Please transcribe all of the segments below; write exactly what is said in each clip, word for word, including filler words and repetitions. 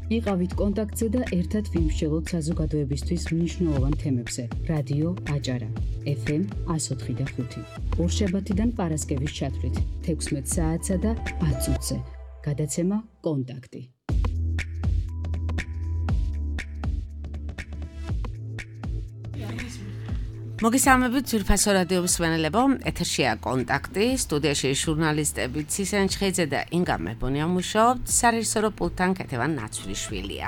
იყავით კონტაქტზე და ერთად ვიმსჯელოთ საზოგადოებისთვის მნიშვნელოვან თემებზე. რადიო აჭარა, ეფ ემ εκατო ოთხი და ხუთი. ორშაბათიდან პარასკევის ჩათვლით, თექვსმეტ საათსა და ათ წუთზე. გადაცემა კონტაქტი. მოგესალმებით ძვირფასო რადიო მსმენელებო, ეთერშია კონტაქტი, სტუდიაში ჟურნალისტები ცისენ ჩხეიძე და ინგა მებონია მუშაობთ, სარეჟისორო პულტთან კეთევან ნაცვლიშვილია.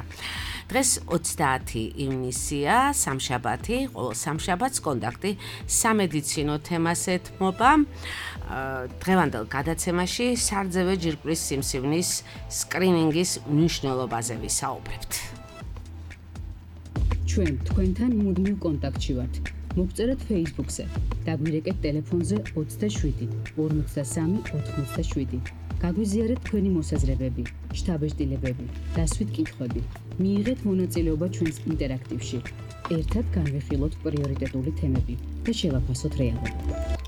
დღეს ოცდაათი ივნისია, სამშაბათი, ყოველ სამშაბათს კონტაქტი სამედიცინო თემას ეთმობა. დღევანდელ გადაცემაში სარძევე ჯირკვლის სიმსივნის სკრინინგის მნიშვნელობაზე ვისაუბრებთ. ჩვენ თქვენთან მუდმივ კონტაქტში ვართ. მოგწერეთ Facebook-ზე, დაგვირეკეთ ტელეფონზე ოცდაშვიდი ორმოცდასამი ოთხმოცდაშვიდი. გაგვიზიარეთ თქვენი მოსაზრებები, შთაბეჭდილებები, დასვით კითხვები. მიიღეთ მონაწილეობა ჩვენს ინტერაქტივში. ერთად განვიხილოთ პრიორიტეტული თემები და შევაფასოთ რეალობა.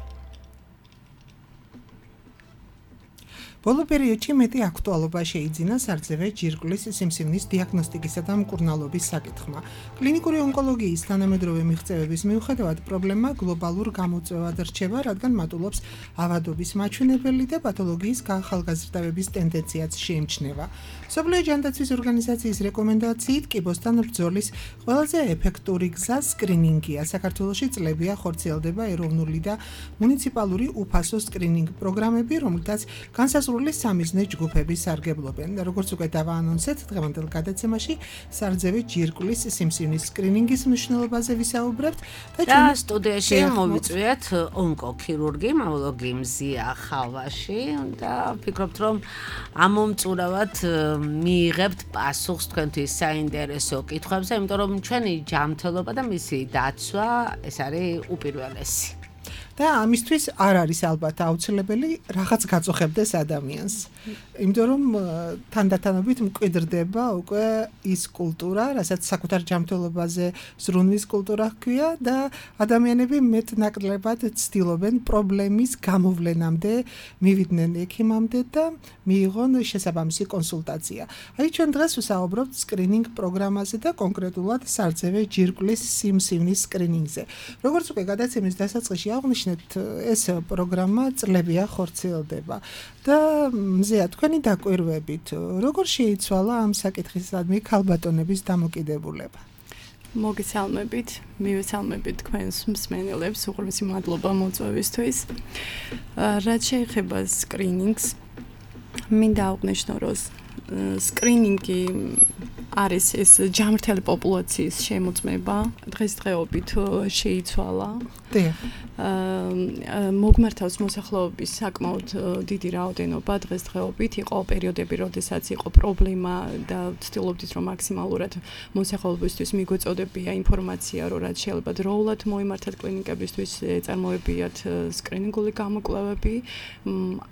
ბოლო პერიოდში მეტი აქტუალობა შეიძინა სარძევე ჯირკვლის სიმსივნის დიაგნოსტიკისა და მკურნალობის საკითხმა. კლინიკური ონკოლოგიის თანამედროვე მიღწევების მიუხედავად პრობლემა გლობალურ გამოწვევად რჩება, რადგან მატულობს ავადობის მაჩვენებელი და პათოლოგიის გაახალგაზრდავების ტენდენციაც შეიმჩნევა. მსოფლიო ჯანდაცვის ორგანიზაციის რეკომენდაციით კიბოსთან ბრძოლის ყველაზე ეფექტური გზა სკრინინგია. საქართველოში წლებია ხორციელდება ეროვნული და მუნიციპალური უფასო სკრინინგ პროგრამები, რომლითაც განსაზღვრული სამიზნე ჯგუფები სარგებლობენ. როგორც უკვე დავაანონსეთ, დღევანდელ გადაცემაში სარძევე ჯირკვლის სიმსივნის სკრინინგის მნიშვნელობაზე ვისაუბრებთ და ჩვენ სტუდიაში მოვიწვიეთ ონკოქირურგი, მამოლოგი მზია ხალვაში და ვფიქრობთ, რომ ამომწურავად მიიღებთ პასუხს თქვენთვის საინტერესო კითხვებზე, იმიტომ რომ ჩვენი ჯანმრთელობა და მისი დაცვა ეს არის უპირველესი. და ამისთვის არ არის ალბათ აუცილებელი რაღაც გაწოხებდეს ადამიანს. იმიტომ რომ თანდათანობით მკვიდრდება უკვე ის კულტურა, რასაც საკუთარ ჯანმრთელობაზე ზრუნვის კულტურა ჰქვია და ადამიანები მეტნაკლებად ცდილობენ პრობლემის გამოვლენამდე მივიდნენ ექიმამდე და მიიღონ შესაბამისი კონსულტაცია. აი ჩვენ დღეს ვსაუბრობთ სკრინინგ პროგრამაზე და კონკრეტულად სარძევე ჯირკვლის სიმსივნის სკრინინგზე. როგორც უკვე გადაცემის დასაწყისში აღნიშნეთ, ეს პროგრამა წლებია ხორციელდება და მზეა თქვენი დაკვირვებით როგორ შეიცვალა ამ საკითხისადმი ქალბატონების დამოკიდებულება? მოგესალმებით, მივესალმებით თქვენს მსმენელებს, უღრმესი მადლობა მოწვევისთვის. რაც შეეხება სკრინინგს, მინდა აღვნიშნო, რომ სკრინინგი არის ეს ჯანმრთელი პოპულაციის შემოწმება, დღესდღეობით შეიცვალა. მოგმართავს მოსახლეობის საკმაოდ დიდი რაოდენობა დღესდღეობით. იყო პერიოდები, როდესაც იყო პრობლემა და ვცდილობდით, რომ მაქსიმალურად მოსახლეობისთვის მიგვეწოდებია ინფორმაცია, რომ რაც შეიძლება დროულად მოიმართათ კლინიკებისთვის, ეწარმოებიათ სკრინინგული გამოკვლევები.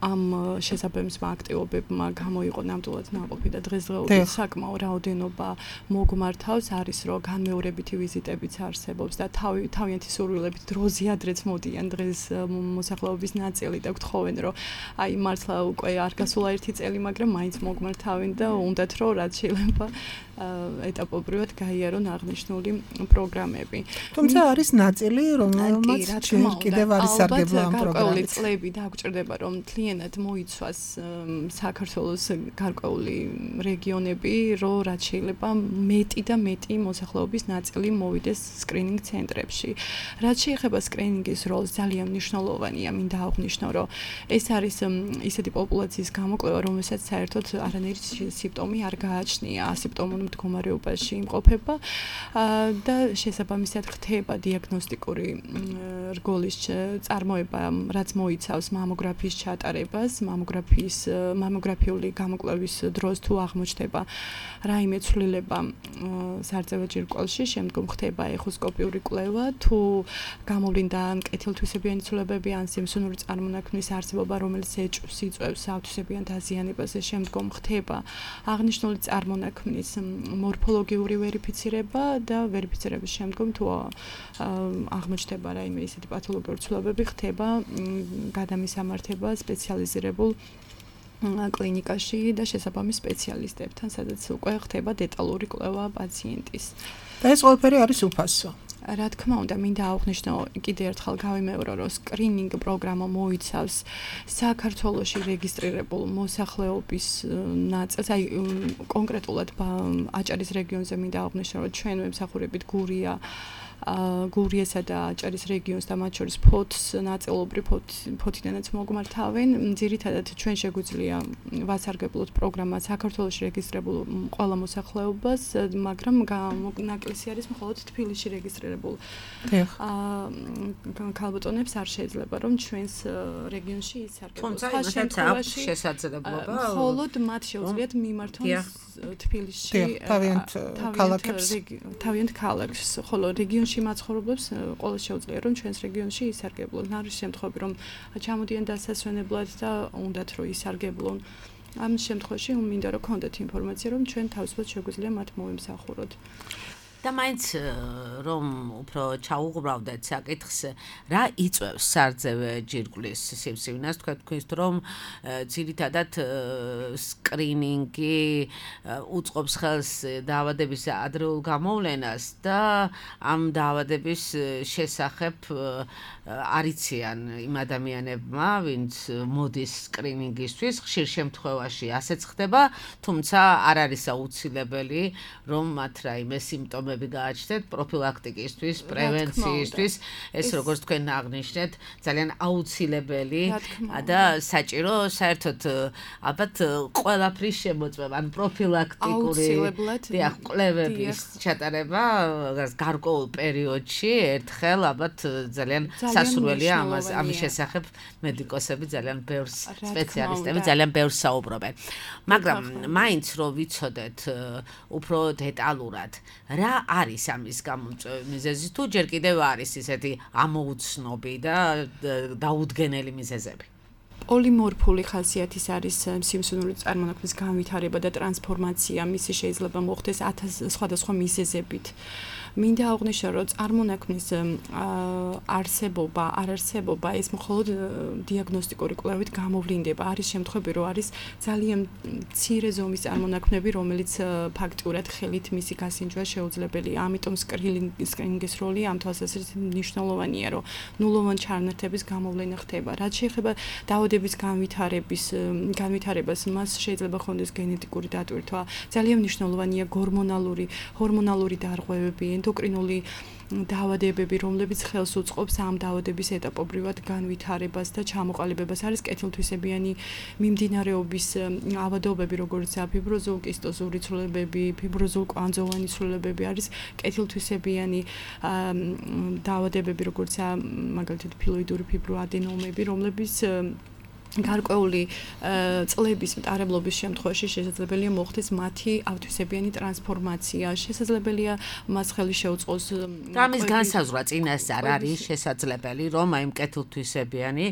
ამ შესაბამისმა აქტივობებმა გამოიყო ნამდვილად ნაყოფი და დღესდღეობით საკმაოდ რაოდენობა მოგმართავს. არის რომ განმეორებითი ვიზიტებიც არსებობს და თავი თავიანთი სურვილებით დროზე ადრეც მოდიან დღეს მოსახლეობის ნაწილი და გთხოვენ, რომ აი მართლა უკვე არ გასულა ერთი წელი, მაგრამ მაინც მოგმართავენ და უნდათ რომ რაც შეიძლება ეტაპობრივად გაიარონ აღნიშნული პროგრამები. თუმცა არის ნაწილი, რომელმაც კიდევ არის სარგებლო ამ პროგრამით. წლები დაგვჭირდება, რომ მთლიანად მოიცვას საქართველოს გარკვეული რეგიონები, რომ რაც შეიძლება მეტი და მეტი მოსახლეობის ნაწილი მოვიდეს სკრინინგ ცენტრებში. რაც შეეხება სკრინინგის როლს, ძალიან მნიშვნელოვანია, მინდა აღვნიშნო, რომ ეს არის ისეთი პოპულაციის გამოკვლევა, რომელსაც საერთოდ არანაირი სიმპტომი არ გააჩნია, ასიმპტომურ მდგომარეობაში იმყოფება და შესაბამისად ხდება დიაგნოსტიკური რგოლის წარმოება, რაც მოიცავს მამოგრაფიის ჩატარებას, მამოგრაფიის მამოგრაფიული გამოკვლევის დროს თუ აღმოჩნდება რაიმე ცვლილება სარძევე ჯირკვალში, შემდგომ ხდება ეხოსკოპიური კვლევა, თუ გამოვლინდა ან კეთილთვისებიანი ცვლილებები, ან სიმსივნური წარმონაქმნის არსებობა, რომელიც ეჭვს იწვევს ავთვისებიან დაზიანებას, შემდგომ ხდება აღნიშნული წარმონაქმნის მორფოლოგიური ვერიფიცირება და ვერიფიცირების შემდგომ თუ აღმოჩნდება რაიმე ისეთი პათოლოგიური ცვლილებები, ხდება გადამისამართება სპეციალიზირებულ კლინიკაში და შესაბამის სპეციალისტებთან, სადაც უკვე ხდება დეტალური კვლევა პაციენტის. და ეს ყველაფერი არის უფასო. რა თქმა უნდა, მინდა აღვნიშნო კიდე ერთხელ გავიმეორო, რომ სკრინინგ პროგრამა მოიცავს საქართველოში რეგისტრირებულ მოსახლეობის ნაწილს, აი კონკრეტულად აჭარის რეგიონზე მინდა აღვნიშნო, რომ ჩვენ მემსახურებით გურია გურიესა და აჭარის რეგიონს და მათ შორის ფოთს ნაწილობრივ ფოთიდანაც მოგმართავენ. ძირითადად ჩვენ შეგვიძლია ვასარგებლოთ პროგრამა საქართველოში რეგისტრირებულ ყველა მოსახლეობას, მაგრამ ნაკლისი არის მხოლოდ თბილისში რეგისტრირებულ ქალბატონებს არ შეიძლება, რომ ჩვენს რეგიონში ისარგებლონ. თუმცა იმათაც აქვს შესაძლებლობა. მხოლოდ მათ შეუძლიათ მიმართონ თბილისში თავიანთ ქალაქებს, თავიანთ ქალაქს, ხოლო რეგიონში მაცხოვრებლებს ყოველ შეუძლია რომ ჩვენს რეგიონში ისარგებლონ. არის შემთხვევები რომ ჩამოდიან დასასვენებლად და უნდათ რომ ისარგებლონ. ამ შემთხვევაში მინდა რომ გქონდეთ ინფორმაცია რომ ჩვენ თავისუფლად შეგვიძლია მათ მოვემსახუროთ. და მაინც რომ უფრო ჩაუღრავდეთ საკითხს, რა იწვევს სარძევე ჯირკვლის სიმსივნას, თქვა თქვენს რომ ძირითადად სკრინინგი უწყობს ხელს დაავადების ადრეულ გამოვლენას და ამ დაავადების შესახებ არიციან იმ ადამიანებმა, ვინც მოდის სკრინინგისთვის, ხშირ შემთხვევაში ასეც ხდება, თუმცა არ არის აუცილებელი, რომ მათ რაიმე სიმპტომები გააჩნდეთ პროფილაქტიკისთვის, პრევენციისთვის, ეს როგორც თქვენ აღნიშნეთ, ძალიან აუცილებელი და საჭირო საერთოდ ალბათ ყველაფრის შემოწმება, ან პროფილაქტიკური დიახ, კვლევების ჩატარება გარკვეულ პერიოდში ერთხელ ალბათ ძალიან სასურველია ამას ამის შესახებ მედიკოსები ძალიან ბევრს სპეციალისტები ძალიან ბევრს საუბრობენ. მაგრამ მაინც რომ ვიცოდეთ უფრო დეტალურად რა არის ამის გამომწვევი მიზეზი თუ ჯერ კიდევ არის ისეთი ამოუცნობი და დაუდგენელი მიზეზები? პოლიმორფული ხასიათის არის სიმსივნური წარმონაქმნის განვითარება და ტრანსფორმაცია, მისი შეიძლება მოხდეს ათას სხვადასხვა მიზეზებით. მინდა აღვნიშნო, რომ წარმონაქმნის არსებობა, არარსებობა ეს მხოლოდ დიაგნოსტიკური კვლევით გამოვლინდება. არის შემთხვევები, რომ არის ძალიან მცირე ზომის წარმონაქმნები, რომელიც ფაქტურად ხელით მისი გასინჯვა შეუძლებელია. ამიტომ სკრინინგის როლი ამ თვალსაზრისით მნიშვნელოვანია, რომ ნულოვან ჩარნართების გამოვლენა ხდება. რაც შეეხება დაავადების განვითარების განვითარებას, მას შეიძლება ხონდეს გენეტიკური დატვირთვა. ძალიან მნიშვნელოვანია გორმონალური, ჰორმონალური დარღვევები, ენდოკრინული დაავადებები, რომლებიც ხელს უწყობს ამ დაავადების ეტაპობრივად განვითარებას და ჩამოყალიბებას. არის კეთილთვისებიანი მიმდინარეობის ავადობები, როგორიცაა ფიბროზულ კისტოზური ცვლილებები, ფიბროზულ კვანძოვანი ცვლილებები, არის კეთილთვისებიანი დაავადებები, როგორიცაა მაგალითად ფილოიდური ფიბროადენომები, რომლებიც გარკვეული წლების მტარებლობის შემთხვევაში შესაძლებელია მოხდეს მათი ავთვისებიანი ტრანსფორმაცია. შესაძლებელია მას ხელი შეუწყოს და ამის განსაზღვრა წინასწარ არის შესაძლებელი, რომ აი მკეთილთვისებიანი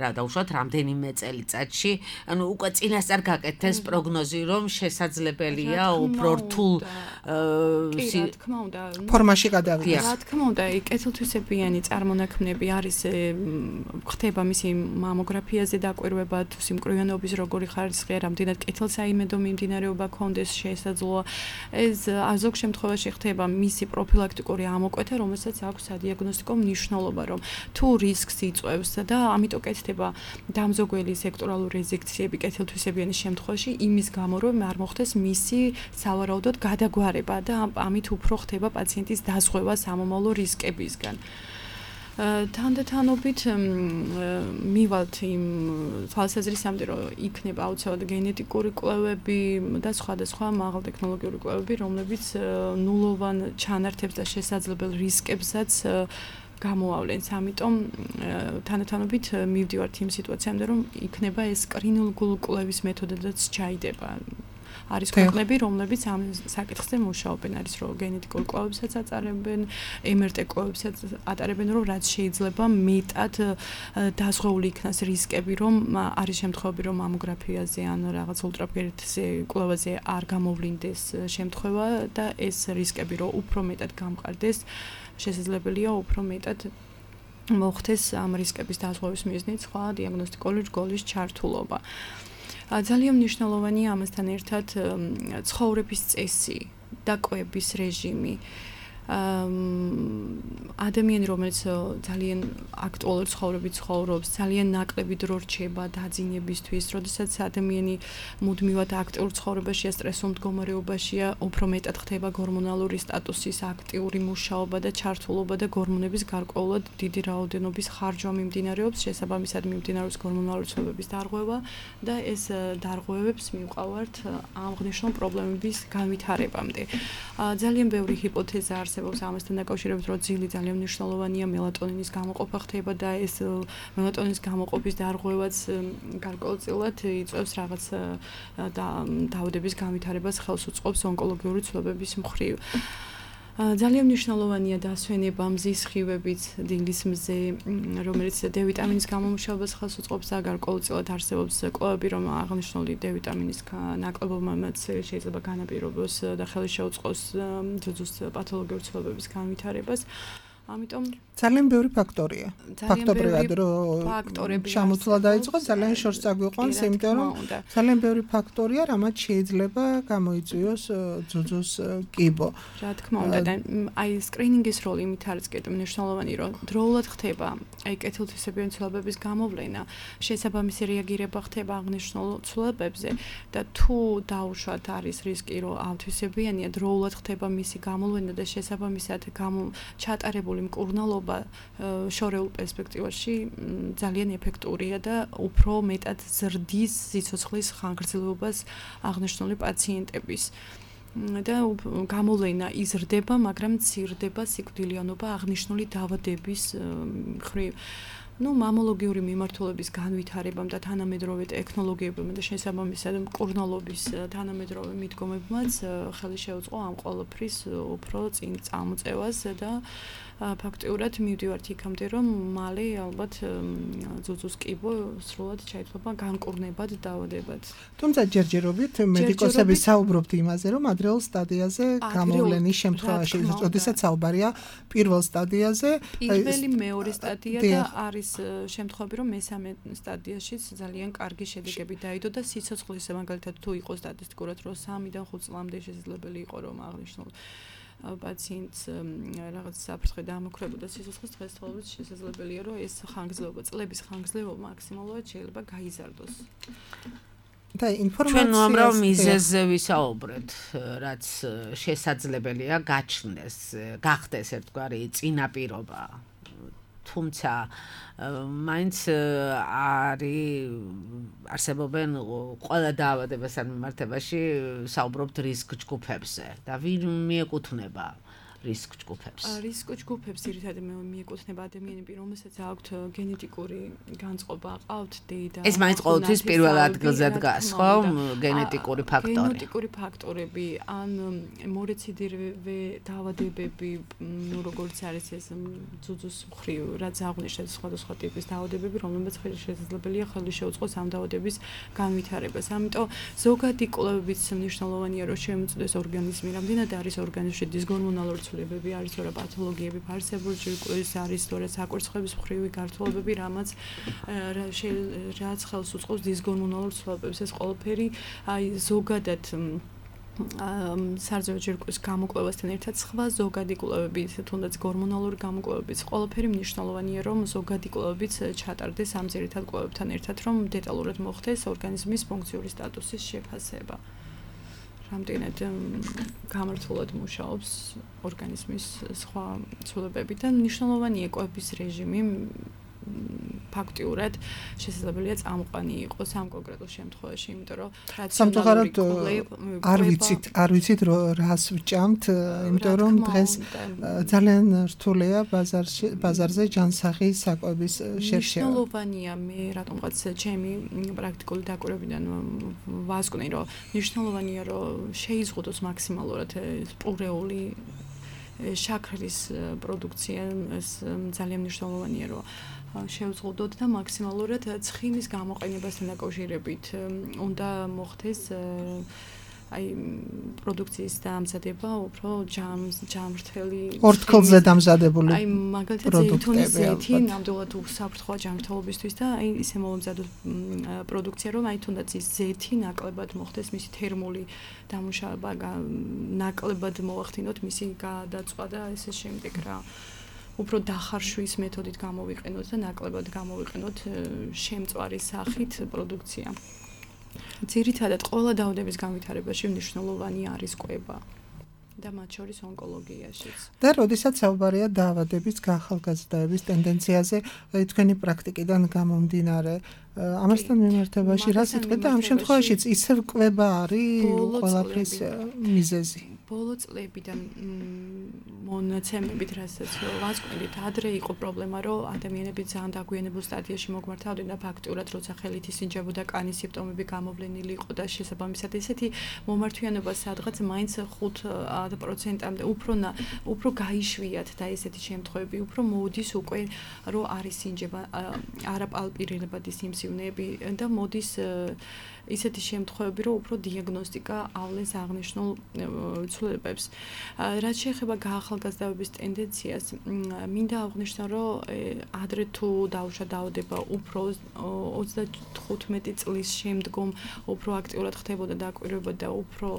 რა დაუშვათ რამდენიმე წელიწადში, ანუ უკვე წინასწარ გაკეთდეს პროგნოზი, რომ შესაძლებელია უფრო რთულ ფორმაში გადავიდეს. რა თქმა უნდა, კეთილთვისებიანი წარმონაქმნები არის ხდება მისი მამოგრაფიაზე და კვირვება თუ სიმკვრივიანობის როგორი ხარისხია, რამდენად კეთილსაიმედო მიმდინარეობა ქონდეს შესაძლოა. ეს ზოგ შემთხვევაში ხდება მისი პროფილაქტიკური ამოკვეთა, რომელსაც აქვს სადიაგნოსტიკო მნიშვნელობა, რომ თუ რისკს იწვევს და ამიტომ კეთდება დამზოგველი სექტორალური რეზექციები კეთილთვისებიანის შემთხვევაში, იმის გამო რომ არ მოხდეს მისი სავარაუდოდ გადაგვარება და ამით უფრო ხდება პაციენტის დაზღვევა სამომავლო რისკებისგან. თანდათანობით მივალთ იმ თვალსაზრისამდე, რომ იქნება აუცილებლად გენეტიკური კვლევები და სხვადასხვა მაღალტექნოლოგიური კვლევები, რომლებიც ნულოვან ჩანართებს და შესაძლებელ რისკებსაც გამოავლენს. ამიტომ თანდათანობით მივდივართ იმ სიტუაციამდე, რომ იქნება ეს სკრინინგული კვლევის მეთოდადაც ჩაიდება. არის ქვეყნები, რომლებიც ამ საკითხზე მუშაობენ, არის რომ გენეტიკურ კვლევებსაც აწარებენ, ემ ერ ტე კვლევებსაც ატარებენ, რომ რაც შეიძლება მეტად დაზღვეული იქნას რისკები, რომ არის შემთხვევები, რომ მამოგრაფიაზე ან რაღაც ულტრაბგერითზე კვლევაზე არ გამოვლინდეს შემთხვევა და ეს რისკები რომ უფრო მეტად გამყარდეს, შესაძლებელია უფრო მეტად მოხდეს ამ რისკების დაზღვევის მიზნით სხვა დიაგნოსტიკური რგოლის ჩართულობა. ძალიან მნიშვნელოვანია ამასთან ერთად ცხოვრების წესი, დაკვების რეჟიმი. ადამიანი, რომელიც ძალიან აქტუალურ ცხოვრებით ცხოვრობს, ძალიან ნაკლები დრო რჩება დაძინებისთვის, როდესაც ადამიანი მუდმივად აქტიურ ცხოვრებაშია, სტრესულ მდგომარეობაშია, უფრო მეტად ხდება ჰორმონალური სტატუსის აქტიური მუშაობა და ჩართულობა და ჰორმონების გარკვეულად დიდი რაოდენობის ხარჯვა მიმდინარეობს, შესაბამისად მიმდინარეობს ჰორმონალური ცვლილებების დარღვევა და ეს დარღვევებს მივყავართ აღნიშნულ პრობლემების განვითარებამდე. ძალიან ბევრი ჰიპოთეზა არსებობს ამასთან დაკავშირებით, რომ ძილი ძალიან მნიშვნელოვანია, მელატონინის გამოყოფა ხდება და ეს მელატონინის გამოყოფის დარღვევაც გარკვეულწილად იწვევს რაღაც დაავადების განვითარებას, ხელს უწყობს ონკოლოგიური ცვლილებების მხრივ. ძალიან მნიშვნელოვანია დასვენება მზის სხივებით დილის მზე, რომელიც D ვიტამინის გამომუშავებას ხელს უწყობს და გარკვეულწილად არსებობს კვლევები, რომ აღნიშნული D ვიტამინის ნაკლებობამაც შეიძლება განაპირობოს და ხელი შეუწყოს ძუძუს პათოლოგიური ცვლილებების განვითარებას. ამიტომ ძალიან ბევრი ფაქტორია. ფაქტორებად რომ შემოთვლა დაიწყო, ძალიან შორს წაგვიყვანს, იმიტომ რომ ძალიან ბევრი ფაქტორია, რამაც შეიძლება გამოიწვიოს ძუძუს კიბო. რა თქმა უნდა, და აი სკრინინგის როლი იმით არის კიდევ მნიშვნელოვანი, რომ დროულად ხდება აი კეთილთვისებიანი ცვლილებების გამოვლენა, შესაბამისი რეაგირება ხდება აღნიშნულ ცვლილებებზე და თუ დაუშვათ არის რისკი, რომ ავთვისებიანია, დროულად ხდება მისი გამოვლენა და შესაბამისად ჩატარებული მკურნალობა შორეულ პერსპექტივაში ძალიან ეფექტურია და უფრო მეტად ზრდის სიცოცხლის ხანგრძლივობას აღნიშნული პაციენტების. და გამოვლენა იზრდება, მაგრამ მცირდება სიკვდილიანობა აღნიშნული დაავადების მხრივ. ну მამოლოგიური მიმართულების განვითარებამ და თანამედროვე ტექნოლოგიებმა და შესაბამისად მკურნალობის თანამედროვე მიდგომებმაც ხელი შეუწყო ამ ყველაფრის უფრო წინ წამოწევას და ფაქტიურად მივდივართ იქამდე რომ მალე ალბათ ძუძუს კიბო სრულად შეიძლება განკურნებად დაავადებად. თუმცა ჯერჯერობით მედიკოსები საუბრობთ იმაზე, რომ ადრეულ სტადიაზე გამოვლენის შემთხვევაში, როდესაც საუბარია პირველ სტადიაზე, პირველი მეორე სტადია და არის შემთხვევები, რომ მესამე სტადიაშიც ძალიან კარგი შედეგები დაიდო და სიცოცხლის მაგალითად თუ იყოს სტატისტიკურად, რომ სამიდან ხუთ წლამდე შესაძლებელი იყო რომ აღნიშნულ პაციენტს რაღაც საფრთხე დაამოქმებოდა სიცოცხლის დღესდღეობით შესაძლებელია რომ ეს ხანგრძლივობა წლების ხანგრძლივობა მაქსიმალურად შეიძლება გაიზარდოს. და ინფორმაცია ჩვენ უამრავ მიზეზზე ვისაუბრეთ, რაც შესაძლებელია გაჩნდეს, გახდეს ერთგვარი წინაპირობა. თუმცა მაინც არის არსებობენ ყველა დაავადებასთან მიმართებაში საუბრობთ რისკ ჯგუფებზე და ვინ მიეკუთვნება რისკ ჯგუფებს. რისკ ჯგუფებს ძირითადად მიეკუთვნება ადამიანები, რომელსაც აქვთ გენეტიკური განწყობა, აყავთ დეიდა. ეს მაინც ყოველთვის პირველ ადგილზე დგას, ხო? გენეტიკური ფაქტორი. გენეტიკური ფაქტორები, ან მორეციდივე დაავადებები, ну როგორც არის ეს ძუძუს მხრივ, რაც აღნიშნეთ სხვადასხვა ტიპის დაავადებები, რომლებიც შესაძლებელია ხელი შეუწყოს ამ დაავადების განვითარებას. ამიტომ ზოგადი კვლევებიც მნიშვნელოვანია, რომ შემოწმდეს ორგანიზმი, რამდენად არის ორგანიზმში დისგორმონალური ცვლილებები, არის თორე პათოლოგიები, ფარსებური ჯირკვლის, არის თორე საკვირცხების მხრივი გართულებები, რამაც რაც ხელს უწყობს დისგორმონალურ ცვლილებებს. ეს ყველაფერი აი ზოგადად სარძევო ჯირკვლის გამოკვლევასთან ერთად სხვა ზოგადი კვლევები, თუნდაც ჰორმონალური გამოკვლევებიც, ყველაფერი მნიშვნელოვანია, რომ ზოგადი კვლევებიც ჩატარდეს ამ ძირითად კვლევებთან ერთად, რომ დეტალურად მოხდეს ორგანიზმის ფუნქციური სტატუსის შეფასება. რამდენად გამართულად მუშაობს ორგანიზმის სხვა ცვლილებები და მნიშვნელოვანია კვების რეჟიმი ფაქტიურად შესაძლებელია წამყვანი იყოს ამ კონკრეტულ შემთხვევაში, იმიტომ რომ სამწუხაროდ არ ვიცით, არ ვიცით რას ვჭამთ, იმიტომ რომ დღეს ძალიან რთულია ბაზარში, ბაზარზე ჯანსაღი საკვების შერშევა. მნიშვნელოვანია, მე რატომღაც ჩემი პრაქტიკული დაკვირვებიდან ვასკვნი, რომ მნიშვნელოვანია, რომ შეიზღუდოს მაქსიმალურად პურეული შაქრის პროდუქცია, ეს ძალიან მნიშვნელოვანია, რომ შევზღუდოთ და მაქსიმალურად ცხიმის გამოყენებასთან დაკავშირებით უნდა მოხდეს აი პროდუქციის დამზადება უფრო ჯამრთელი ორთქლზე დამზადებული აი მაგალითად ზეითუნის ზეთი ნამდვილად უსაფრთხოა ჯანმრთელობისთვის და აი ისე მომზადოს პროდუქცია რომ აი თუნდაც ის ზეთი ნაკლებად მოხდეს მისი თერმული დამუშავება ნაკლებად მოახდინოთ მისი გადაწვა და ესე შემდეგ რა უფრო დახარშვის მეთოდით გამოვიყენოთ და ნაკლებად გამოვიყენოთ შემწვარი სახით პროდუქცია. ძირითადად ყველა დაავადების განვითარებაში მნიშვნელოვანი არის კვება და მათ შორის ონკოლოგიაშიც. და როდესაც საუბარია დაავადების გახალგაზრდების ტენდენციაზე, თქვენი პრაქტიკიდან გამომდინარე, ამასთან მიმართებაში რა სიტყვით და ამ შემთხვევაშიც ისევ კვება არის ყველაფრის მიზეზი. ბოლო წლებიდან მონაცემებით რასაც ვასკვენდით, ადრე იყო პრობლემა, რომ ადამიანები ძალიან დაგვიანებულ სტადიაში მოგვართავდნენ და ფაქტურად როცა ხელით ისინჯებოდა კანის სიმპტომები გამოვლენილი იყო და შესაბამისად ესეთი მომართვიანობა სადღაც მაინც ხუთ პროცენტამდე უფრო უფრო გაიშვიათ და ესეთი შემთხვევები უფრო მოდის უკვე რომ არის სინჯება არაპალპირებადი სიმსივნეები და მოდის ისეთი შემთხვევები, რომ უფრო დიაგნოსტიკა ავლენს აღნიშნულ ცვლილებებს. რაც შეეხება გაახალგაზრდების ტენდენციას, მინდა აღვნიშნო, რომ ადრე თუ დაუშვა დაავადება უფრო ოცდათხუთმეტი წლის შემდგომ უფრო აქტიურად ხდებოდა დაკვირვება და უფრო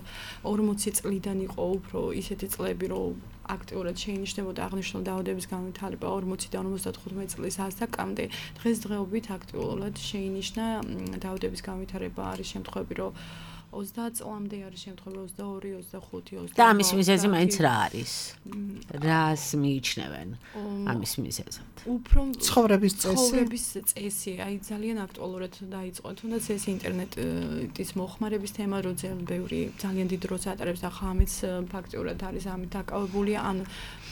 ორმოცი წლიდან იყო უფრო ისეთი წლები, რომ აქტიურად შეინიშნებოდა აღნიშნულ დაავადების განვითარება ორმოციდან ორმოცდათხუთმეტი წლის ასაკამდე. დღესდღეობით აქტიურად შეინიშნა დაავადების განვითარება არის შემთხვევები, რომ ოცდაათ წლამდე არის შემთხვევები ოცდაორი, ოცდახუთი, ოცდაოთხი. და ამის მიზეზი მაინც რა არის? რას მიიჩნევენ ამის მიზეზად? უფრო ცხოვრების წესი. ცხოვრების წესი, აი ძალიან აქტუალურად დაიწყო. თუნდაც ეს ინტერნეტის მოხმარების თემა, რომ ძალიან ბევრი ძალიან დიდ დროს ატარებს და ხამიც ფაქტიურად არის ამით დაკავებული, ან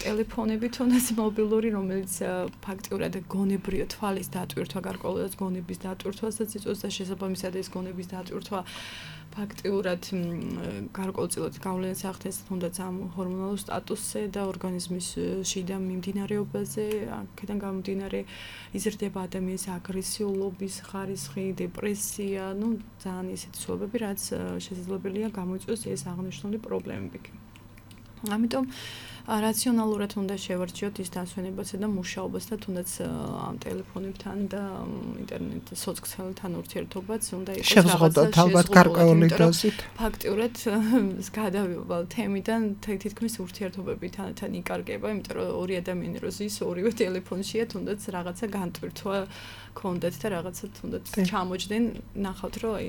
ტელეფონები თუნდაც მობილური, რომელიც ფაქტიურად გონებრივ თვალის დატვირთვა, გარკვეულად გონების დატვირთვასაც იწვევს და შესაბამისად ეს გონების დატვირთვა ფაქტიურად გარკვეულწილად გავლენას ახდენს თუნდაც ამ ჰორმონალურ სტატუსზე და ორგანიზმის შიდა მიმდინარეობაზე, აქედან გამომდინარე იზრდება ადამიანის აგრესიულობის ხარისხი, დეპრესია, ну ძალიან ისეთი ცვლილებები, რაც შესაძლებელია გამოიწვიოს ეს აღნიშნული პრობლემები. ამიტომ რაციონალურად უნდა შევარჩიოთ ის დასვენებასა და მუშაობას და თუნდაც ამ ტელეფონებთან და ინტერნეტ სოციალთან ურთიერთობაც უნდა იყოს შევზღუდოთ ალბათ გარკვეული დოზით. ფაქტიურად გადავივალ თემიდან თითქმის ურთიერთობებთან იკარგება, იმიტომ რომ ორი ადამიანი რო ზის ორივე ტელეფონშია, თუნდაც რაღაცა განტვირთვა ქონდათ და რაღაცა თუნდაც ჩამოჯდნენ, ნახავთ რომ აი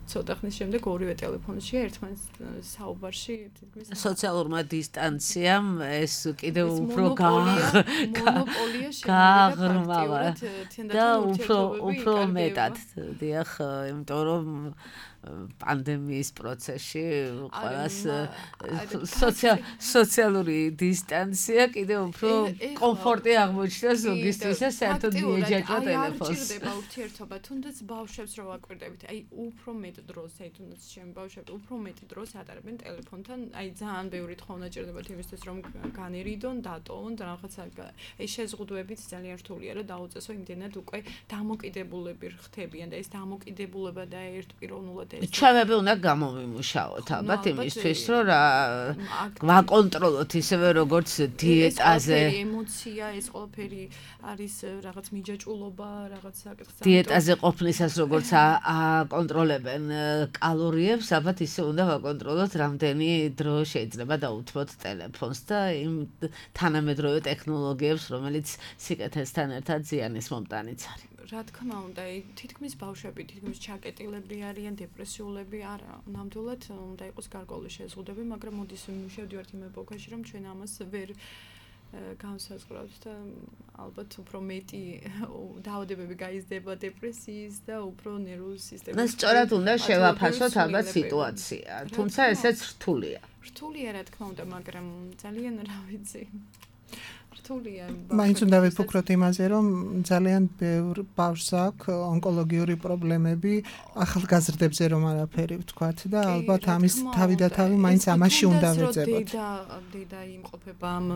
ცოტა ხნის შემდეგ ორივე ტელეფონშია ერთმანეთს საუბარში თითქმის სოციალურმა დისტანციამ ეს კიდევ უფრო მონოპოლია გაღრმავა და უფრო უფრო მეტად დიახ, იმიტომ რომ პანდემიის პროცესში ყველას სოციალური დისტანცია კიდევ უფრო კომფორტი აღმოჩნდა ზოგისთვის და საერთოდ მიეჯაჭვა ტელეფონს. არ ჭირდება ურთიერთობა, თუნდაც ბავშვებს რო ვაკვირდებით, აი უფრო მეტ დროს, აი თუნდაც ჩემი ბავშვები უფრო მეტ დროს ატარებენ ტელეფონთან, აი ძალიან ბევრი თხოვნა ჭირდებათ იმისთვის, რომ განერიდონ, დატოვონ და რაღაცა აი შეზღუდვებით ძალიან რთულია, რომ დაუწესო იმდენად უკვე დამოკიდებულები ხდებიან და ეს დამოკიდებულება და ერთპიროვნულად ჩვენები უნდა გამომიმუშაოთ ალბათ იმისთვის, რომ რა ვაკონტროლოთ ისევე როგორც დიეტაზე. ეს ემოცია, ეს ყველაფერი არის რაღაც მიჯაჭვულობა, რაღაც საკითხი. დიეტაზე ყოფნისას როგორც აკონტროლებენ კალორიებს, ალბათ ისე უნდა ვაკონტროლოთ რამდენი დრო შეიძლება დაუთმოთ ტელეფონს და იმ თანამედროვე ტექნოლოგიებს, რომელიც სიკეთესთან ერთად ზიანის მომტანიც არის. რა თქმა უნდა, თითქმის ბავშვები, თითქმის ჩაკეტილები არიან, დეპრესიულები არა. ნამდვილად უნდა იყოს გარკვეული შეზღუდვები, მაგრამ მოდის მივშევდივართ იმ ეპოქაში, რომ ჩვენ ამას ვერ განსაზღვრავთ და ალბათ უფრო მეტი დაავადებები გაიზრდება დეპრესიის და უფრო ნერვული სისტემის. და სწორად უნდა შევაფასოთ ალბათ სიტუაცია, თუმცა ესეც რთულია. რთულია რა თქმა უნდა, მაგრამ ძალიან რა ვიცი. მაინც უნდა ვიფიქროთ იმაზე, რომ ძალიან ბევრ ბავშვს აქვს ონკოლოგიური პრობლემები, ახალგაზრდებზე რომ არაფერი ვთქვათ და ალბათ ამის თავი და თავი მაინც ამაში უნდა ვეძებოთ. და და იმყოფება ამ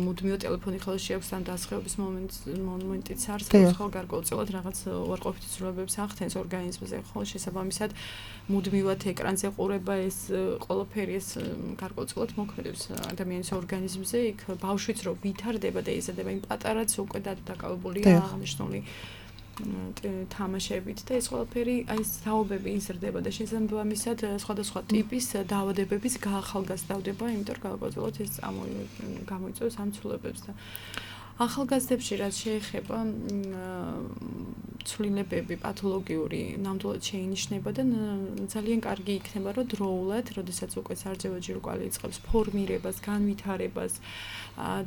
მუდმივ ტელეფონი ხელში აქვს ამ დასხევების მომენტს მომენტიც არის, ხო გარკვეულწილად რაღაც უარყოფითი ცვლილებებს ახდენს ორგანიზმზე, ხო შესაბამისად მუდმივად ეკრანზე ყურება ეს ყველაფერი ეს გარკვეულწილად მოქმედებს ადამიანის ორგანიზმზე, იქ ბავშვიც რო ვითარდება და იზრდება იმ პატარაც უკვე დაკავებულია აღნიშნული თამაშებით და ეს ყველაფერი აი საუბები იზრდება და შესაბამისად სხვადასხვა ტიპის დაავადებების გაახალგაზრდავდება, იმიტომ რომ გარკვეულწილად ეს გამოიწვევს ამ ცვლილებებს და ახალგაზრდებში რაც შეეხება ცვლილებები პათოლოგიური ნამდვილად შეინიშნება და ძალიან კარგი იქნება რომ დროულად, როდესაც უკვე სარძევა ჯირკვალი იწყებს ფორმირებას, განვითარებას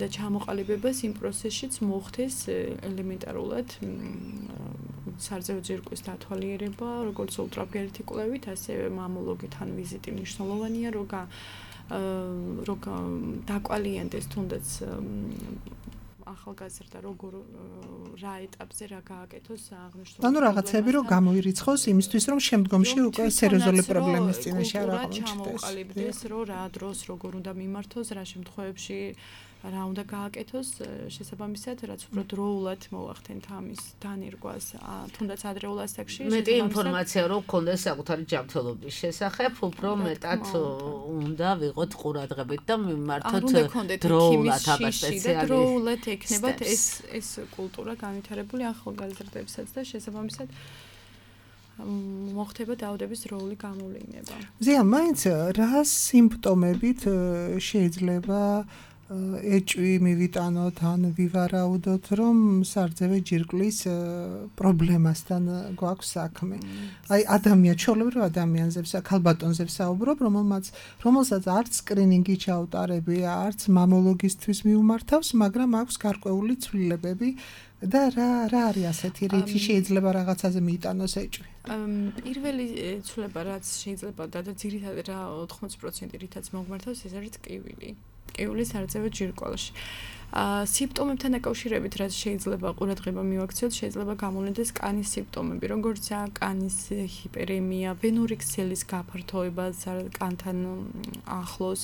და ჩამოყალიბებას იმ პროცესშიც მოხდეს ელემენტარულად სარძევა ჯირკვის დათვალიერება, როგორც ულტრაბგერითი კვლევით, ასევე მამოლოგთან ვიზიტი მნიშვნელოვანია, რომ რომ დაკვალიანდეს თუნდაც ახალგაზრდა როგორ რა ეტაპზე რა გააკეთოს აღნიშნული. ანუ რაღაცები რომ გამოირიცხოს იმისთვის რომ შემდგომში უკვე სერიოზული პრობლემის წინაშე არ აღმოჩნდეს. ჩამოყალიბდეს რომ რა დროს როგორ უნდა მიმართოს, რა შემთხვევებში რა უნდა გააკეთოს, შესაბამისად რაც უფრო დროულად მოახდენთ ამის დანერგვას, თუნდაც ადრეულ ასაკში. მეტი ინფორმაცია რომ გქონდეს საკუთარი ჯანმრთელობის შესახებ, უფრო მეტად უნდა ვიყოთ ყურადღებით და მიმართოთ დროულად აბა სპეციალისტ. დროულად ექნებათ ეს ეს კულტურა განვითარებული ახალგაზრდებსაც და შესაბამისად მოხდება დაავადების დროული გამოვლინება. ზია, მაინც რა სიმპტომებით შეიძლება ეჭვი მივიტანოთ ან ვივარაუდოთ, რომ სარძევე ჯირკვლის პრობლემასთან გვაქვს საქმე. აი ადამიანს, ჩვეულებრივ ადამიანზე, ქალბატონზე ვსაუბრობ, რომელმაც რომელსაც არც სკრინინგი ჩაუტარებია, არც მამოლოგისთვის მიუმართავს, მაგრამ აქვს გარკვეული ცვლილებები და რა რა არის ასეთი რითი შეიძლება რაღაცაზე მიიტანოს ეჭვი? პირველი ცვლილება რაც შეიძლება და ძირითადად რა ოთხმოცი პროცენტი რითაც მოგმართავს, ეს არის ტკივილი. ტკივილი სარძევე ჯირკვალში. სიმპტომებთან დაკავშირებით რაც შეიძლება ყურადღება მივაქციოთ, შეიძლება გამოვლინდეს კანის სიმპტომები, როგორიცაა კანის ჰიპერემია, ვენური ქსელის გაფართოება კანთან ახლოს,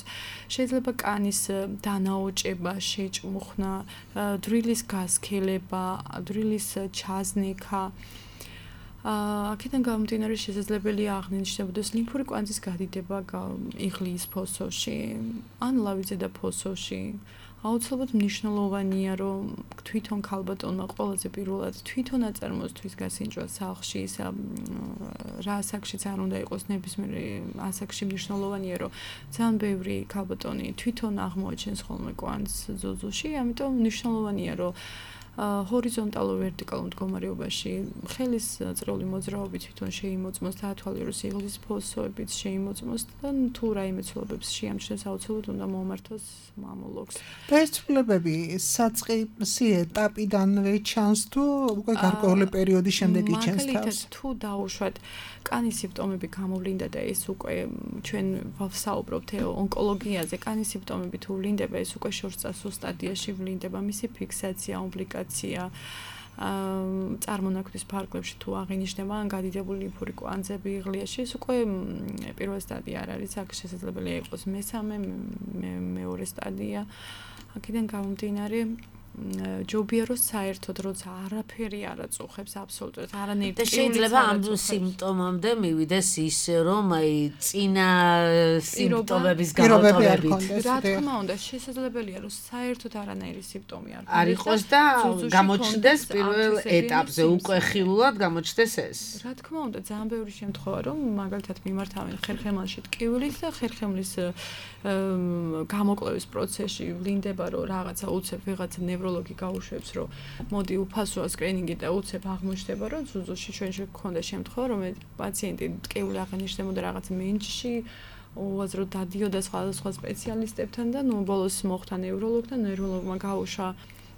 შეიძლება კანის დანაოჭება, შეჭმუხნა, დრილის გასქელება, დრილის ჩაზნექა. აქედან გამომდინარე შესაძლებელია აღნიშნებოდეს ლიმფური კვანძის გადიდება იღლიის ფოსოში ან ლავიზე და ფოსოში. აუცილებლად მნიშვნელოვანია, რომ თვითონ ქალბატონმა ყველაზე პირველად თვითონ აწარმოოს გასინჯვა სახლში, რა ასაკშიც არ უნდა იყოს ნებისმიერ ასაკში მნიშვნელოვანია, რომ ძალიან ბევრი ქალბატონი თვითონ აღმოაჩენს ხოლმე კვანძს ზუზუში, ამიტომ მნიშვნელოვანია, რომ ჰორიზონტალურ ვერტიკალურ მდგომარეობაში ხელის წრიული მოძრაობით თვითონ შეიმოწმოს და ათვალიეროს იღლის ფოსოებით შეიმოწმოს და თუ რაიმე ცვლილებებს შეამჩნევს აუცილებლად უნდა მომართოს მამოლოგს. და ეს ცვლილებები საწყისი ეტაპიდანვე ჩანს თუ უკვე გარკვეული პერიოდის შემდეგ იჩენს თავს? მაგალითად თუ დაუშვათ კანის სიმპტომები გამოვლინდა და ეს უკვე ჩვენ ვსაუბრობთ ონკოლოგიაზე, კანის სიმპტომები თუ ვლინდება, ეს უკვე შორსწასულ სტადიაში ვლინდება, მისი ფიქსაცია, ომბლიკაცია, წარმონაქმნის ფარგლებში თუ აღინიშნება ან გადიდებული ლიმფური კვანძები იღლიაში, ეს უკვე პირველი სტადია არ არის, აქ შესაძლებელია იყოს მესამე, მეორე სტადია. აქედან გამომდინარე ჯობია რომ საერთოდ როცა არაფერი არ აწუხებს აბსოლუტურად არანაირი და შეიძლება ამ სიმპტომამდე მივიდეს ისე რომ აი წინა სიმპტომების გამოტოვებით რა თქმა უნდა შესაძლებელია რომ საერთოდ არანაირი სიმპტომი არ არ იყოს და გამოჩნდეს პირველ ეტაპზე უკვე ხილულად გამოჩნდეს ეს რა თქმა უნდა ძალიან ბევრი შემთხვევა რომ მაგალითად მიმართავენ ხერხემალში ტკივილით და ხერხემლის გამოკლევის პროცესში ვლინდება რომ რაღაცა უცებ ვიღაცა ნევროლოგი გაუშვებს რომ მოდი უფასოა სკრინინგი და უცებ აღმოჩნდება რომ ზუზუში ჩვენში გქონდა შემთხვევა რომ პაციენტი ტკივილი აღნიშნებოდა რაღაც მენჯში უაზრო დადიოდა სხვადასხვა სპეციალისტებთან და ნუ ბოლოს მოხვდა ნევროლოგთან ნევროლოგმა გაუშვა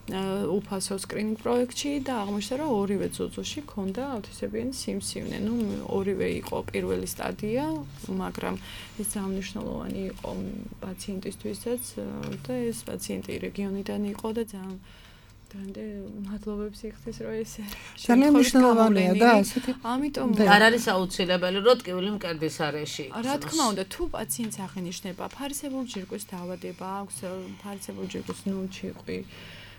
უფასო სკრინინგ პროექტში და აღმოჩნდა რომ ორივე ძუძუში ქონდა აუთიზმიანი სიმსივნე. ნუ ორივე იყო პირველი სტადია, მაგრამ ეს მნიშვნელოვანი იყო პაციენტისთვისაც და ეს პაციენტი რეგიონიდან იყო და ძალიან დღემდე მადლობებს იხდის რომ ეს ძალიან მნიშვნელოვანია და ასეთი ამიტომ არ არის აუცილებელი რომ ტკივილი მკერდის არეში იყოს. რა თქმა უნდა, თუ პაციენტს აღინიშნება ფარისებური ჯირკვის დაავადება აქვს, ფარისებური ჯირკვის ნუჩიყვი,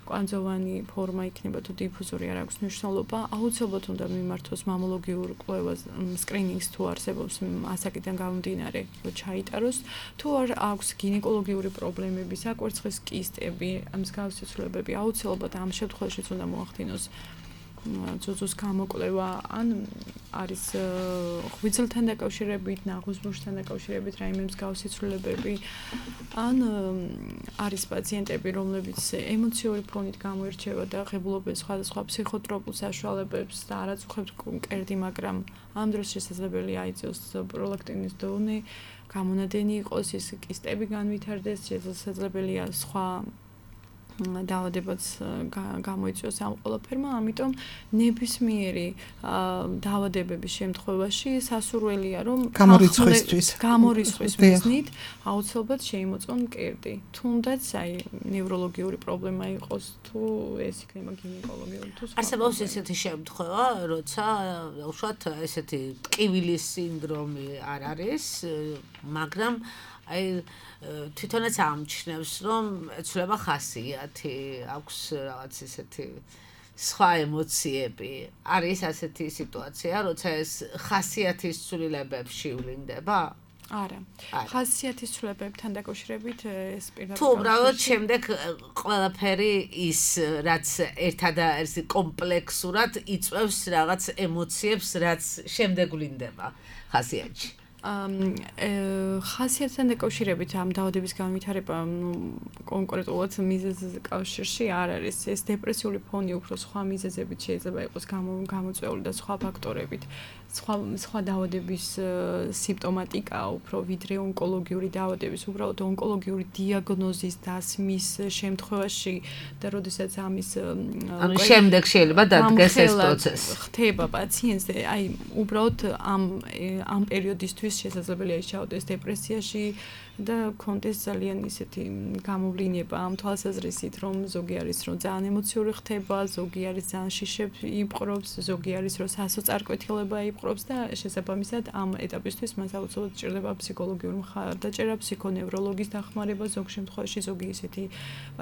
კვანძოვანი ფორმა იქნება თუ დიფუზური არ აქვს მნიშვნელობა, აუცილებლად უნდა მიმართოს მამოლოგიურ კვლევას, სკრინინგს თუ არსებობს ასაკიდან გამომდინარე, რომ ჩაიტაროს, თუ არ აქვს გინეკოლოგიური პრობლემები, საკვერცხის კისტები, მსგავსი ცვლილებები, აუცილებლად ამ შემთხვევაშიც უნდა მოახდინოს ძუძუს გამოკვლევა, ან არის ღვიძლთან დაკავშირებით, ნაღუზბურთთან დაკავშირებით რაიმე მსგავსი ცვლილებები, ან არის პაციენტები, რომლებიც ემოციური ფონით გამოირჩევა და ღებულობენ სხვადასხვა ფსიქოტროპულ საშუალებებს და არ აწუხებთ მკერდი, მაგრამ ამ დროს შესაძლებელია აიწიოს პროლაქტინის დონე, გამონადენი იყოს, ის კისტები განვითარდეს, შესაძლებელია სხვა დაავადებაც გამოიწვიოს ამ ყველაფერმა, ამიტომ ნებისმიერი დაავადებების შემთხვევაში სასურველია რომ გამორიცხვისთვის გამორიცხვის მიზნით აუცილებლად შეიმოწონ მკერდი. თუნდაც აი ნევროლოგიური პრობლემა იყოს თუ ეს იქნება გინეკოლოგიური თუ სხვა. არსებობს ესეთი შემთხვევა, როცა უშუალოდ ესეთი ტკივილის სინდრომი არ არის, მაგრამ აი თვითონაც ამჩნევს რომ ეცვლება ხასიათი, აქვს რაღაც ესეთი სხვა ემოციები. არის ასეთი სიტუაცია, როცა ეს ხასიათის ცვლილებებში ვლინდება? არა. ხასიათის ცვლილებებთან დაკავშირებით ეს პირდაპირ თუ უბრალოდ შემდეგ ყველაფერი ის რაც ერთადერთი კომპლექსურად იწვევს რაღაც ემოციებს, რაც შემდეგ ვლინდება ხასიათში. ხასიათთან დაკავშირებით ამ დაავადების განვითარება კონკრეტულად მიზეზის კავშირში არ არის. ეს დეპრესიული ფონი უფრო სხვა მიზეზებით შეიძლება იყოს გამოწვეული და სხვა ფაქტორებით. სხვა სხვა დაავადების სიმპტომატიკა უფრო ვიდრე ონკოლოგიური დაავადების, უბრალოდ ონკოლოგიური დიაგნოზის დასმის შემთხვევაში და როდესაც ამის ანუ შემდეგ შეიძლება დადგეს ეს პროცესი. ხდება პაციენტზე, აი უბრალოდ ამ ამ პერიოდისთვის შესაძლებელია ჩაოდეს დეპრესიაში და კონდეს ძალიან ისეთი გამოვლინება ამ თვალსაზრისით, რომ ზოგი არის რომ ძალიან ემოციური ხდება, ზოგი არის ძალიან შიშებს იპყრობს, ზოგი არის რომ სასოწარკვეთილება იპყრობს და შესაბამისად ამ ეტაპისთვის მას აუცილებლად სჭირდება ფსიქოლოგიური მხარდაჭერა, ფსიქონევროლოგის დახმარება, ზოგ შემთხვევაში ზოგი ისეთი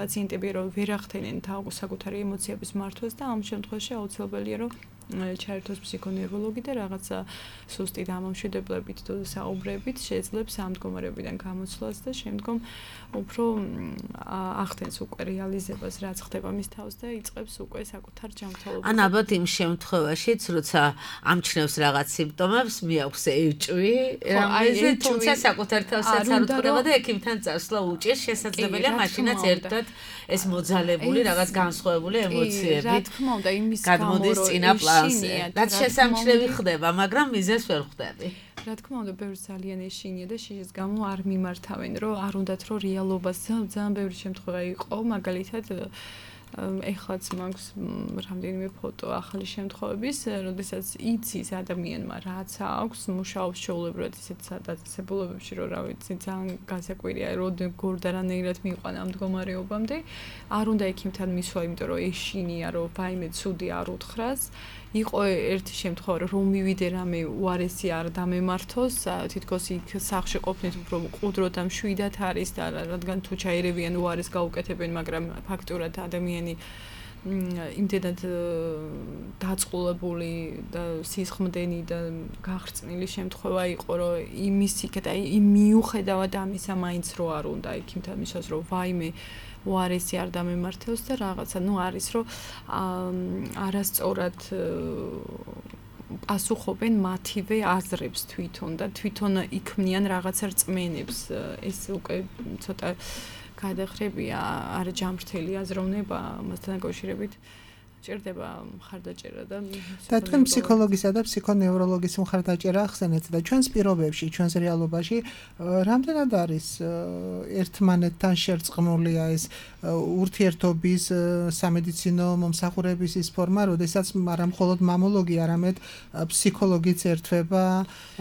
პაციენტები რომ ვერ ახდენენ საკუთარი ემოციების მართვას და ამ შემთხვევაში აუცილებელია რომ ჩაერთოს ფსიქონევროლოგი და რაღაცა სუსტი დამამშვიდებლებით თუ საუბრებით შეძლებს ამ მდგომარეობიდან გამოცვლას და შემდგომ უფრო ახდენს უკვე რეალიზებას რაც ხდება მის თავს და იწყებს უკვე საკუთარ ჯანმრთელობას. ან ალბათ იმ შემთხვევაშიც, როცა ამჩნევს რაღაც სიმპტომებს, მიაქვს ეჭვი, რამეზე თუმცა საკუთარ თავსაც არ უთხრება და ექიმთან წასვლა უჭირს, შესაძლებელია მაშინაც ერთად ეს მოძალებული რაღაც განსხვავებული ემოციები. რა თქმა უნდა, იმის გამო გადმოდის წინა პლანზე. რაც შესამჩნევი ხდება, მაგრამ მიზეზს ვერ ხვდები. რა თქმა უნდა, ბევრი ძალიან ეშინია და შიშის გამო არ მიმართავენ, რომ არ უნდათ რომ რეალობას ძალიან ბევრი შემთხვევა იყო, მაგალითად ეხლაც მაქვს რამდენიმე ფოტო ახალი შემთხვევების, როდესაც იცის ადამიანმა რაც აქვს, მუშაობს ჩვეულებრივად ისეთ დაწესებულებებში, რომ რა ვიცი, ძალიან გასაკვირია, რომ გორდარანაირად მიიყვანა ამ მდგომარეობამდე, არ უნდა ექიმთან მისვლა, იმიტომ რომ ეშინია, რომ ვაიმე ცუდი არ უთხრას. იყო ერთი შემთხვევა, რომ მივიდე რამე უარესი არ დამემართოს, თითქოს იქ სახლში ყოფნით უფრო მყუდრო და მშვიდად არის და რადგან თუ ჩაერევიან უარეს გაუკეთებენ, მაგრამ ფაქტურად ადამიანი იმდენად დაწყულებული და სისხმდენი და გახრწნილი შემთხვევა იყო, რომ იმისიქეთ, აი იმ მიუხედავად ამისა მაინც რო არ უნდა ექიმთან მისვას, რომ ვაიმე უარესი არ დამემართოს და რაღაცა, ნუ არის რომ არასწორად პასუხობენ მათივე აზრებს თვითონ და თვითონ იქმნიან რაღაცა რწმენებს. ეს უკვე ცოტა გადახრებია, არ ჯამრთელი აზროვნება მასთან დაკავშირებით. ჭირდება მხარდაჭერა და და თქვენ ფსიქოლოგისა და ფსიქონევროლოგის მხარდაჭერა ახსენეთ და ჩვენს პირობებში, ჩვენს რეალობაში რამდენად არის ერთმანეთთან შერწყმულია ეს ურთიერთობის სამედიცინო მომსახურების ის ფორმა, როდესაც არა მხოლოდ მამოლოგი, არამედ ფსიქოლოგიც ერთვება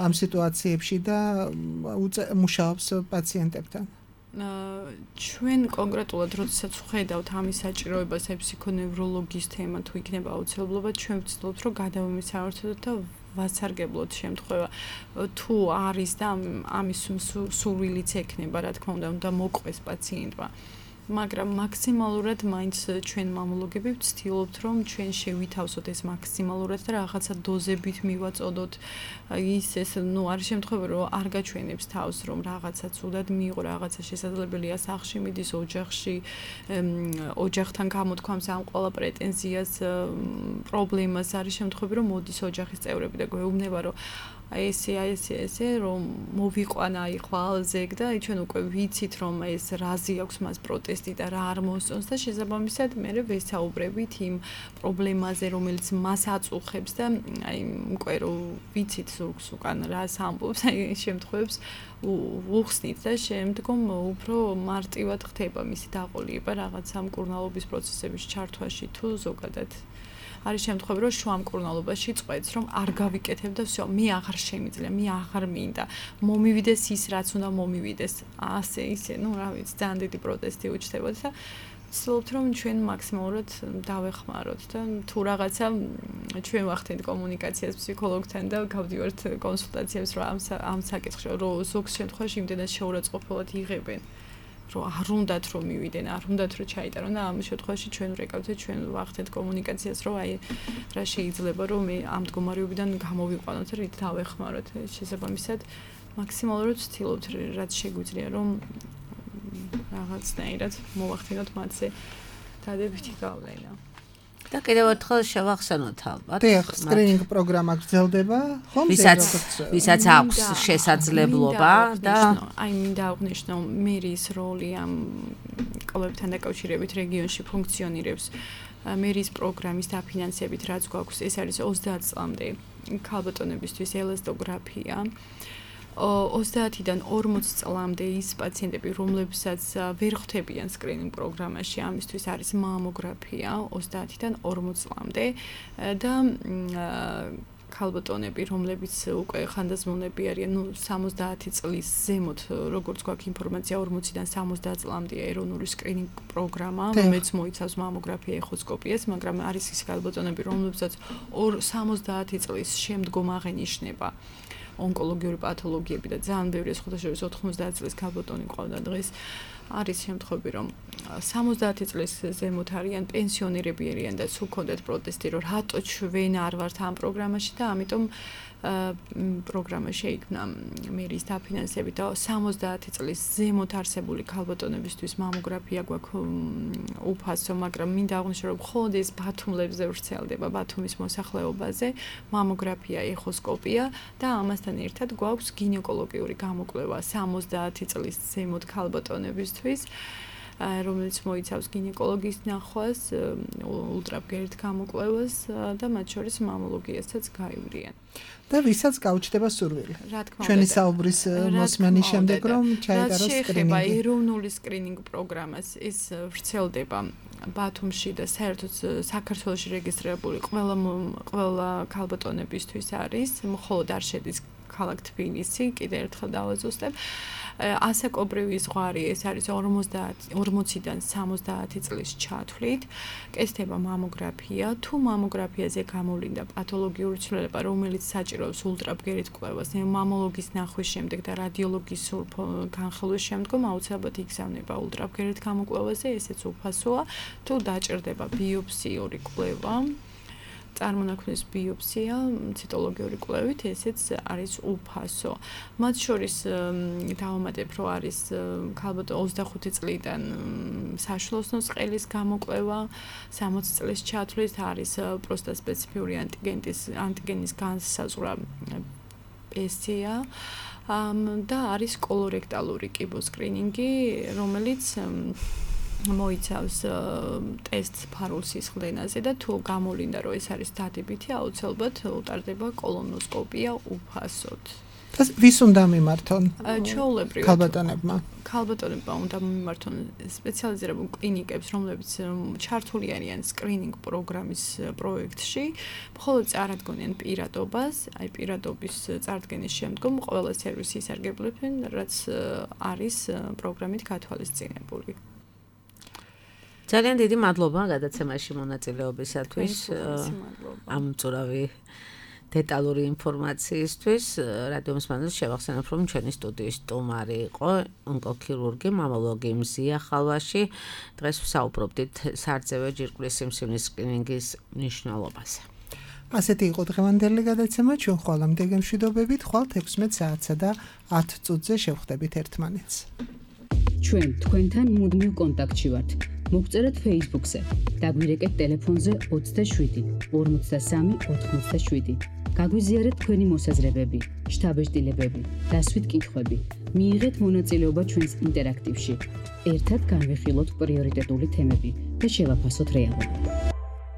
ამ სიტუაციებში და მუშაობს პაციენტებთან. ჩვენ კონკრეტულად როდესაც ვხედავთ ამის საჭიროებას აი ფსიქონევროლოგის თემა თუ იქნება აუცილებლობა, ჩვენ ვცდილობთ რომ გადავემისავართოთ და ვასარგებლოთ შემთხვევა თუ არის და ამის სურვილიც ექნება, რა თქმა უნდა, უნდა მოყვეს პაციენტმა. მაგრამ მაქსიმალურად მაინც ჩვენ მამოლოგები ვცდილობთ რომ ჩვენ შევითავსოთ ეს მაქსიმალურად და რაღაცა დოზებით მივაწოდოთ ის ეს ნუ არის შემთხვევა რომ არ გაჩვენებს თავს რომ რაღაცა ცუდად მიიღო რაღაცა შესაძლებელია სახლში მიდის ოჯახში ოჯახთან გამოთქვამს ამ ყველა პრეტენზიას პრობლემას არის შემთხვევა რომ მოდის ოჯახის წევრები და გვეუბნება რომ აი ესე აი ესე ესე რომ მოვიყვანა აი ხვალზეგ და აი ჩვენ უკვე ვიცით რომ ეს რაზი აქვს მას პროტესტი და რა არ მოსწონს და შესაბამისად მე ვესაუბრებით იმ პრობლემაზე რომელიც მას აწუხებს და აი უკვე რომ ვიცით ზოგს უკან რას ამბობს აი შემთხვევებს უხსნით და შემდგომ უფრო მარტივად ხდება მისი დაყოლება რაღაცა მკურნალობის პროცესების ჩართვაში თუ ზოგადად არის შემთხვევა რომ შუამკურნალობაში წყვეტს რომ არ გავიკეთებ და всё მე აღარ შემიძლია მე აღარ მინდა მომივიდეს ის რაც უნდა მომივიდეს ასე ისე ნუ რა ვიცი ძალიან დიდი პროტესტი უჩნდებოდა და ვცდილობთ რომ ჩვენ მაქსიმალურად დავეხმაროთ და თუ რაღაცა ჩვენ ვახდენთ კომუნიკაციას ფსიქოლოგთან და გავდივართ კონსულტაციებს რომ ამ ამ საკითხში რომ ზოგ შემთხვევაში იმდენად შეურაცხყოფილად იღებენ რომ არ უნდათ რომ მივიდენ, არ უნდათ რომ ჩაიტარონ და ამ შემთხვევაში ჩვენ ვрекავთ ჩვენ ვახდენთ კომუნიკაციას რომ აი რა შეიძლება რომ მე ამ მდგომარეობიდან გამოვიყვანოთ და რით დავეხმაროთ შესაბამისად მაქსიმალურად ვცდილობთ რაც შეგვიძლია რომ რაღაცნაირად მოვახდინოთ მათზე დადებითი გავლენა. და კიდევ ერთხელ შევახსენოთ ალბათ. დიახ, სკრინინგ პროგრამა გრძელდება, ხომ? ვისაც ვისაც აქვს შესაძლებლობა და აი მინდა აღნიშნო მერის როლი ამ კოლექციებთან დაკავშირებით რეგიონში ფუნქციონირებს. მერის პროგრამის დაფინანსებით რაც გვაქვს, ეს არის ოცდაათ წლამდე ქალბატონებისთვის ელასტოგრაფია. ოცდაათიდან ორმოც წლამდე ის პაციენტები, რომლებსაც ვერ ხვდებიან სკრინინგ პროგრამაში, ამისთვის არის მამოგრაფია ოცდაათიდან ორმოც წლამდე და ქალბატონები, რომლებიც უკვე ხანდაზმულები არიან, ნუ სამოცდაათი წლის ზემოთ, როგორც გვაქვს ინფორმაცია, ორმოციდან სამოცდაათ წლამდე ეროვნული სკრინინგ პროგრამა, რომელიც მოიცავს მამოგრაფია, ეხოსკოპიას, მაგრამ არის ის ქალბატონები, რომლებსაც სამოცდაათი წლის შემდგომ აღენიშნება ონკოლოგიური პათოლოგიები და ძალიან ბევრი სხვადასხვა ოთხმოცდაათ წლის ქალბატონი ყავდა დღეს არის შემთხვევები რომ სამოცდაათი წლის ზემოთ არიან პენსიონერები არიან და სულ ქონდათ პროტესტი რომ რატო ჩვენ არ ვართ ამ პროგრამაში და ამიტომ პროგრამა შეიქმნა მერის დაფინანსებით და სამოცდაათი წლის ზემოთ არსებული ქალბატონებისთვის მამოგრაფია გვაქვს უფასო, მაგრამ მინდა აღვნიშნო რომ მხოლოდ ეს ბათუმლებზე ვრცელდება, ბათუმის მოსახლეობაზე, მამოგრაფია, ეხოსკოპია და ამასთან ერთად გვაქვს გინეკოლოგიური გამოკვლევა სამოცდაათი წლის ზემოთ ქალბატონებისთვის. რომელიც მოიცავს გინეკოლოგის ნახვას, ულტრაბგერით გამოკვლევას და მათ შორის მამოლოგიასაც გაივლიან. და ვისაც გაუჩნდება სურვილი. რა თქმა უნდა. ჩვენი საუბრის მოსმენის შემდეგ რომ ჩაიტაროს სკრინინგი. რა ეროვნული სკრინინგ პროგრამას ის ვრცელდება ბათუმში და საერთოდ საქართველოში რეგისტრირებული ყველა ყველა ქალბატონებისთვის არის, მხოლოდ არ შედის ქალაქ თბილისი, კიდევ ერთხელ დავაზუსტებ. ასაკობრივი ზღვარი ეს არის ორმოციდან სამოცდაათი წლის ჩათვლით. კეთდება მამოგრაფია, თუ მამოგრაფიაზე გამოვლინდა პათოლოგიური ცვლილება, რომელიც საჭიროებს ულტრაბგერით კვლევას, მამოლოგის ნახვის შემდეგ და რადიოლოგის განხილვის შემდგომ აუცილებლად იგზავნება ულტრაბგერით გამოკვლევაზე, ესეც უფასოა. თუ დაჭირდება ბიოპსიური კვლევა, წარმონაქმნის ბიოპსია, ციტოლოგიური კვლევით, ესეც არის უფასო. მათ შორის დავამატებ, რომ არის ქალბატონ ოცდახუთი წლიდან საშუალოსნოს ყელის გამოკვლევა, სამოცი წლის ჩათვლით არის პროსტატსპეციფიური ანტიგენის ანტიგენის განსაზღვრა პესია და არის კოლორექტალური კიბოსკრინინგი, რომელიც მოიცავს ტესტს ფარულ სისხლდენაზე და თუ გამოვლინდა რომ ეს არის დადებითი, აუცილებლად უტარდება კოლონოსკოპია უფასოდ. ეს ვის უნდა მიმართონ? ჩვეულებრივად ქალბატონებმა. ქალბატონებმა უნდა მიმართონ სპეციალიზირებულ კლინიკებს, რომლებიც ჩართული არიან სკრინინგ პროგრამის პროექტში, მხოლოდ წარადგენენ პირადობას, აი პირადობის წარდგენის შემდგომ ყველა სერვისი ისარგებლებენ, რაც არის პროგრამით გათვალისწინებული. ძალიან დიდი მადლობა გადაცემაში მონაწილეობისათვის. ამ მწურავი დეტალური ინფორმაციისთვის. რადიო მსმენელს შევახსენებ, რომ ჩვენი სტუდიის სტუმარი იყო ონკოქირურგი, მამოლოგი მზია ხალვაში. დღეს ვსაუბრობდით სარძევე ჯირკვლის სიმსივნის სკრინინგის მნიშვნელობაზე. ასეთი იყო დღევანდელი გადაცემა. ჩვენ ხვალამდე გემშვიდობებით, ხვალ ექვსმეტ საათსა და ათ წუთზე შევხვდებით ერთმანეთს. ჩვენ თქვენთან მუდმივ კონტაქტში ვართ. მოგწერეთ Facebook-ზე, დაგვირეკეთ ტელეფონზე ოცდაშვიდი ორმოცდასამი ოთხმოცდაშვიდი. გაგვიზიარეთ თქვენი მოსაზრებები, შთაბეჭდილებები, დასვით კითხვები. მიიღეთ მონაწილეობა ჩვენს ინტერაქტივში. ერთად განვიხილოთ პრიორიტეტული თემები და შევაფასოთ რეალობა.